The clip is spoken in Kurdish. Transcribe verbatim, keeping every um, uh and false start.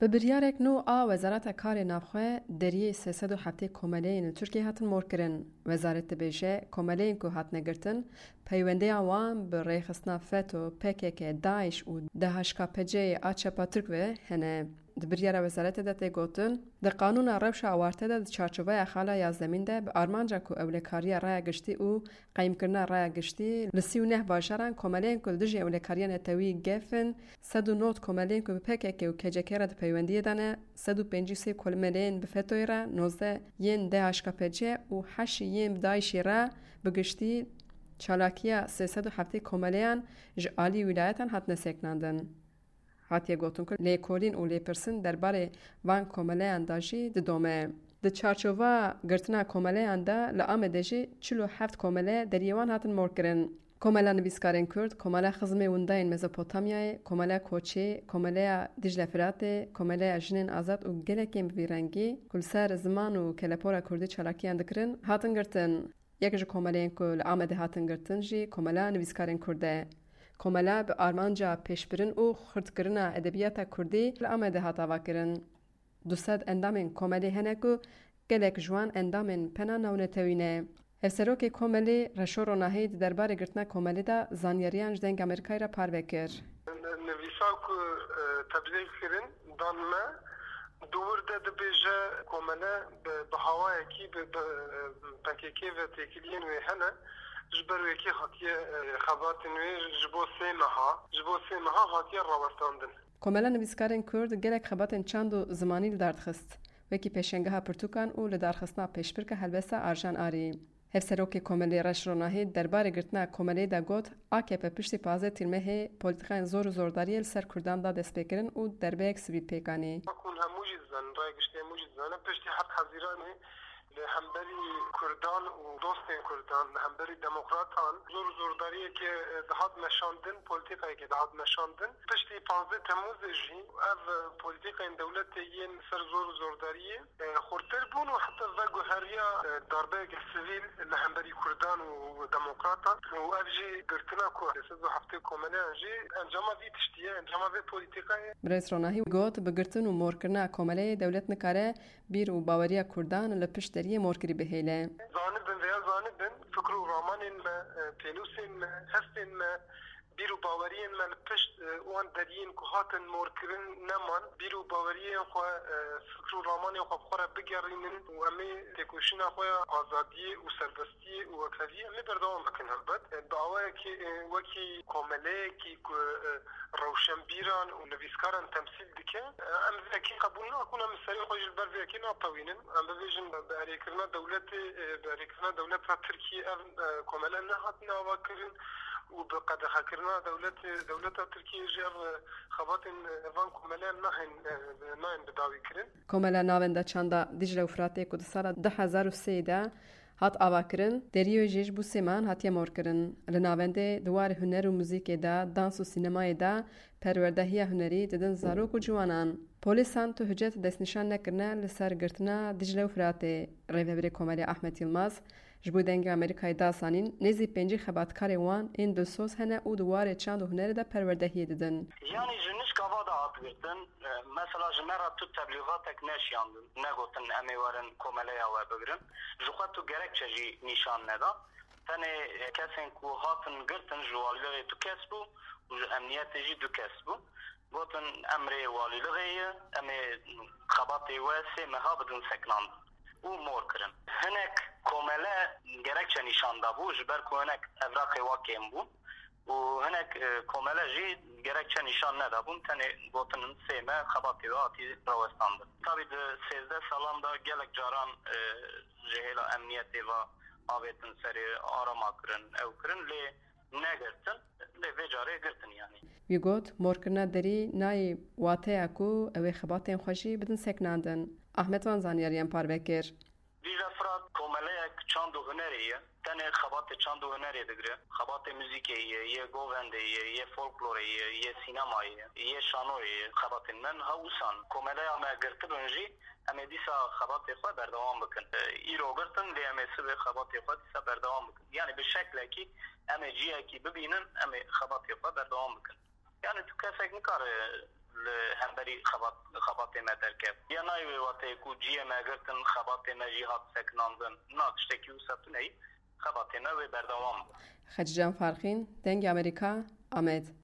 Bi biryarek nû a Wezareta Karê Navxwe deriyê sê sed û heftê komeleyên li Tirkiyeyê hatin morkirin. Wezaret dibêje, komeleyên ku hatine girtin, peywendeya wan bi rêxistina feto, P K K, DAIŞ û D H K P C'yê a çepa Tirk ve hene. Di biryara wezaretê de tê gotin, di qanûna rewşa awarte de di çarçoveya xala yazdemîn de bi armanca ku ewlekariya raya giştî û qeyimkirina raya giştî li sî û neh bajaran komeleyên ku li dijî ewlekariya netewî gef in, sed û nod komeleyên ku bi P K K û K C K re di peywendiyê de ne, sed û pêncî û sê komeleyên bi fetoyê re, nozdeh yên D H K P C û heşt yên bi DAIŞ'ê re, bi giştî çalakiya sê sed û heftê komeleyan ji alî wîlayetan hatine sekinandin. Hatiye gotin ku lêkolîn û lêpirsîn derbarê van komeleyan de jî didome. Di çarçova girtina komeleyan de li Amedê jî çil û heft komele deriyê wan hatin morkirin. Komela Nivîskarên Kurd, Komela Xizmê Windayên Mezopotamyayê, Komela Koçê, Komeleya Dicle Firatê, Komeleya Jinên Azad û gelekên bi vî rengî ku li ser ziman û kelepora kurdî çalakiyan dikirin, hatin girtin. Yek ji komeleyên ku li Amedê hatin girtin jî Komela Nivîskarên Kurd e. Komela bi armanca pêşbirin û xurtkirina edebiyata kurdî li Amedê hat avakirin. Du sed endamên komelê hene ku gelek ji wan endamên pena navnetewî ne. Hevserokê komelê Reşo Ronahî di derbarê girtina komelê de zanyariyan ji Dengê Amerîkayê re parve kir. Nivîsa ku, e, teblîx kirin, dan me, di wir de dibêje komele bi, bi hawayekî bi, bi, e, P K K ve têkiliyên wê hene, ji ber wê kê hatiye, e, xebatên wê ji bo sê meha, ji bo sê meha hatiye rawestandin. Komela Nivîskarên Kurd gelek xebatên çand û zimanî li dar dixist, wekî pêşengeha pirtûkan û lidarxistina pêşbirka helbesta Arjan Arî. Hevserokê Komelê Reş Ronahî derbarê girtina Komelê de got, A K P piştî pazdeh Tîrmehê polîtîkayên zor û zordariyê li ser Kurdan da destpêkirin û derbeyek sivîl pêk anî. Wek hûn hemû jî dizanin, raya giştî hemû jî dizane, piştî heft Hezîranê li hemberî Kurdan û dostên Kurdan, li hemberî demokratan zor û zordariyeke, e, dihat meşandin, polîtîkayeke dihat meşandin. Piştî pazdeh Temmûzê jî ev, e, polîtîkayên dewletê yên ser zor û zordariyê, e, xurtir bûn û heta veguheriya, e, darbeyeke sivîl li hemberî Kurdan û demokratan û ev jî girtina ku sê sed û heftê komeleyan jî encama vî tiştî ye, encama vê polîtîkayê. Birêz Ronahî got, bi girtin û morkirina komeleyê dewlet nikare bîr û baweriya Kurdan li pişt deriyê morkirî bihêle. Zanibin veya zanibin, fikr û ramanên me, e, pênûsên me, hestên me, bîr û baweriyên me li pişt, e, wan deriyên ku hatin morkirin neman. Bîr û baweriyên xwe, e, fikr û ramanên xwe bi xwe re bigerînin û em ê têkoşîna xwe ya azadiyê û serbestiyê û wekheviyê em ê berdewam bikin helbet. E, bi awayekî, e, wekî komeleyekî ku, e, rewşenbîran û nivîskaran temsîl dike, e, em vê yekê qebûl nakin, em serê xwe jî li ber vê yekê natewînin. Em bibêjin, bi erêkirina dewletê, e, bi erêkirina dewleta Tirkiyê ev, e, komele nehatine avakirin û bi qedexekirina dewletê, dewleta Tirkiyê jî ev, e, xebatên, e, van komeleyan nahên, e, nayên bidawîkirin. Komela Navenda Çanda Dicle û Firatê ku di sala du hezar û sê de hat avakirin, deriyê wê jî ji bo sê mehan hatiye morkirin. Li navendê di warê huner û muzîkê de, dans û sînemayê de perwerdehiya hunerî didin zarok û ciwanan. Polîsan tu hicet destnîşan nekirine li ser girtina Dicle û Firatê. Rêvebirê Komelê Ahmet Yilmaz ji bo Dengê Amerîkayê da zanîn, nêzî pêncî xebatkarên wan ên dilsoz hene û di warê çand û hunerê de perwerdehiyê didin. Yanî ji nişka va de hat girtin, e, mesela ji me re tu teblîxatek neşiyandin, negotin em ê werin komeleya we bigirin. Ji xwe tu gerekçe jî nîşan neda. Tenê, e, kesên ku hatin girtin ji walîlixê du kes bû û ji emniyetê jî du kes bû. Gotin, em rê walîlixê ye, em ê xebatê we sê meha bidin sekinandin û mor kirin. Hinek komele gerekçe nîşan dabû, ji ber ku hinek evraqê wa kêm bûn û hinek, e, komele jî gerekçe nîşan nedabûn, tenê gotinin sê meh xebatê we hatî rawestandin. Tabî di sêzdeh salan de gelek caran, e, ji hêla emniyetê ve avêtin serê, arama kirin, ew kirin, lê negirtin, lê vê carê girtin yanî. Wî got, morkirina derî nayê wateya ku ew ê xebatên xwe jî bidin sekinandin. Ahmet van zanyariyan parve kir. Dîcle Firat komeleyek çand û hunerê ye. Tenê xebatê çand û hunerê digire. Xebatê muzîkê ye, yê govendê ye, yê folklorê ye, yê sînemayê ye, yê şanoyê ye. Xebatên me niha wisa ne. Komeleya me girtibin jî, em ê dîsa xebatê xwe berdewam bikin. E, îro girtin, lê em ê sibê xebatê xwe dîsa berdewam bikin. Yanî bi şeklekî em ê cihekî bibînin, em ê xebatê xwe berdewam bikin. Yanî tu kesek nikare li hemberî xebat, xebatê me derket. Ya nayê wê wateyê ku cihê me girtin, xebatê me jî hat sekinandin. Na, tiştekî wisa tune ye, xebatê me wê berdewam be. Xecîcan Farqîn, Dengê Amerîka, Amed.